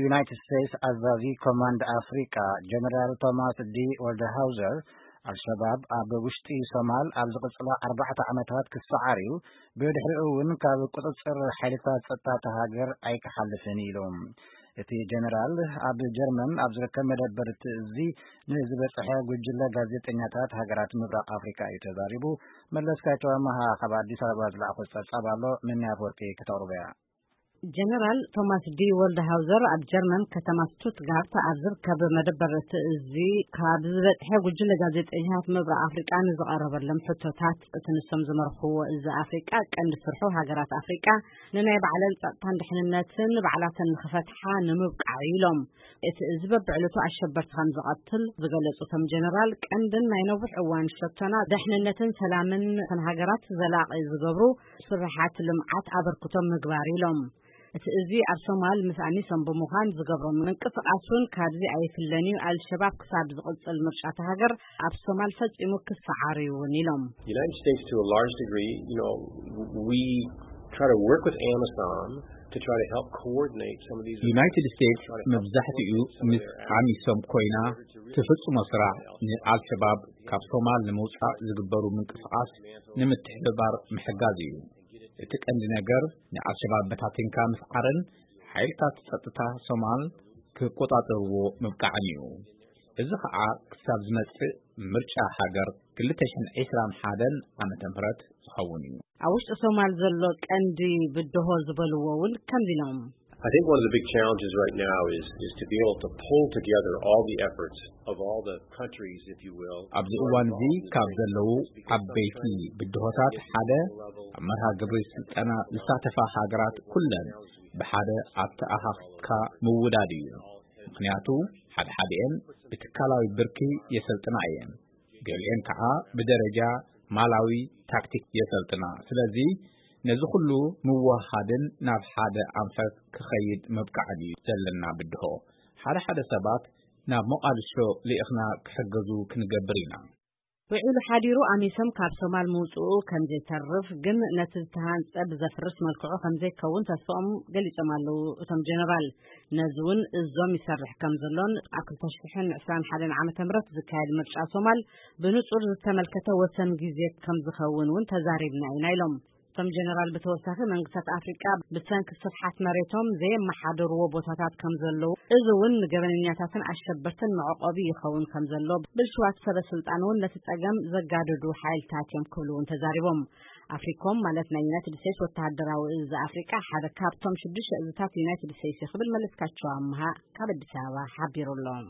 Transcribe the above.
ዩናይትድ ስቴትስ ኣዛዚ ኮማንድ ኣፍሪቃ ጀነራል ቶማስ ዲ ወልደሃውዘር፣ ኣልሸባብ ኣብ ውሽጢ ሶማል ኣብ ዝቕጽላ ኣርባዕተ ዓመታት ክሰዓር እዩ፣ ብድሕሪኡ እውን ካብ ቁጽጽር ሓይልታት ጸጥታ እታ ሃገር ኣይክሓልፍን ኢሉ። እቲ ጀነራል ኣብ ጀርመን ኣብ ዝርከብ መደበር እቲ እዚ ንዝበጽሐ ጉጅለ ጋዜጠኛታት ሃገራት ምብራቕ ኣፍሪቃ እዩ ተዛሪቡ። መለስካቸው ኣመሃ ካብ ኣዲስ ኣበባ ዝለኣኾ ጸብጻብ ኣሎ፣ ምንያ ኣፈወርቂ ከተቕርቦ እያ። ጀነራል ቶማስ ዲ ወልደሃውዘር ኣብ ጀርመን ከተማ ስቱትጋርት ኣብ ዝርከብ መደበር እቲ እዚ ካብ ዝበጽሐ ጉጅለ ጋዜጠኛታት ምብራቕ ኣፍሪቃ ንዝቐረበሎም ሕቶታት፣ እቲ ንሶም ዝመርኽዎ እዚ ኣፍሪቃ ቀንዲ ስርሑ ሃገራት ኣፍሪቃ ንናይ ባዕለን ጸጥታን ድሕንነትን ባዕላተን ንኽፈትሓ ንምብቃዕ ኢሎም። እቲ እዚ በብዕለቱ ኣሸበርቲ ከም ዝቐትል ዝገለጹ እቶም ጀነራል፣ ቀንድን ናይ ነዊሕ እዋን ሸቶና ደሕንነትን ሰላምን እተን ሃገራት ዘላቒ ዝገብሩ ስራሓት ልምዓት ኣበርክቶ ምግባር ኢሎም። እቲ እዚ ኣብ ሶማል ምስ ኣሚሶም ብምዃን ዝገብሮ ምንቅስቓስ እውን ካብዚ ኣይፍለን እዩ። ኣልሸባብ ክሳብ ዝቕጽል ምርጫ እታ ሃገር ኣብ ሶማል ፈጺሙ ክሰዓር እዩ እውን ኢሎም። United States, to a large degree, you know, we try to work with AMISOM to try to help coordinate some of these ዩናይትድ ስቴትስ መብዛሕትኡ ምስ ኣሚሶም ኮይና ትፍጽሞ ስራሕ ንኣልሸባብ ካብ ሶማል ንምውጻእ ዝግበሩ ምንቅስቓስ ንምትሕብባር ምሕጋዝ እዩ። እቲ ቀንዲ ነገር ንኣልሸባብ በታቲንካ ምስዓርን ሓይልታት ጸጥታ ሶማል ክቆጻጸርዎ ምብቃዕን እዩ። እዚ ኸኣ ክሳብ ዝመጽእ ምርጫ ሃገር ክልተ ሽሕን ዕስራን ሓደን ዓመተ ምህረት ዝኸውን እዩ። ኣብ ውሽጢ ሶማል ዘሎ ቀንዲ ብድሆ ዝበልዎ እውን ከምዚ ኢሎም። I think one of the big challenges right now is is to be able to pull together all the efforts of all the countries, if you will, ኣብዚ እዋን እዚ ካብ ዘለዉ ዓበይቲ ብድሆታት ሓደ ኣብ መርሃ ግብሪ ስልጠና ዝሳተፋ ሃገራት ኩለን ብሓደ ኣተኣኻኺብካ ምውዳድ እዩ። ምኽንያቱ ሓደ ሓደኤን ብትካላዊ ብርኪ የሰልጥና እየን፣ ገሊኤን ከዓ ብደረጃ ማላዊ ታክቲክ የሰልጥና። ስለዚ ነዚ ኩሉ ምውህሃድን ናብ ሓደ ኣንፈት ክኸይድ ምብቃዕን እዩ ዘለና ብድሆ። ሓደ ሓደ ሰባት ናብ ሞቓድሾ ልኢኽና ክሕገዙ ክንገብር ኢና። ውዒሉ ሓዲሩ ኣሚሶም ካብ ሶማል ምውፅኡ ከምዘይተርፍ ግን ነቲ ዝተሃንፀ ብዘፍርስ መልክዑ ከምዘይከውን ተስፋኦም ገሊጾም ኣለዉ። እቶም ጀነራል ነዚ እውን እዞም ይሰርሕ ከም ዘሎን ኣብ ክልተ ሽሕን ዕስራን ሓደን ዓመተ ምህረት ዝካየድ ምርጫ ሶማል ብንጹር ዝተመልከተ ወሰን ግዜ ከም ዝኸውን እውን ተዛሪብና ኢና ኢሎም። እቶም ጀነራል ብተወሳኺ መንግስታት ኣፍሪቃ ብሰንኪ ስፍሓት መሬቶም ዘየመሓደርዎ ቦታታት ከም ዘለዉ፣ እዚ እውን ንገበነኛታትን ኣሸበርትን መዕቆቢ ይኸውን ከም ዘሎ ብልሽዋት ሰበ ስልጣን እውን ነቲ ጸገም ዘጋደዱ ሓይልታት እዮም ክብሉ እውን ተዛሪቦም። ኣፍሪኮም ማለት ናይ ዩናይትድ ስቴትስ ወተሃደራዊ እዚ ኣፍሪቃ ሓደ ካብቶም ሽዱሽተ እዝታት ዩናይትድ ስቴትስ እዩ ክብል መለስካቸው ኣምሃ ካብ ኣዲስ ኣበባ ሓቢሩ ኣሎ።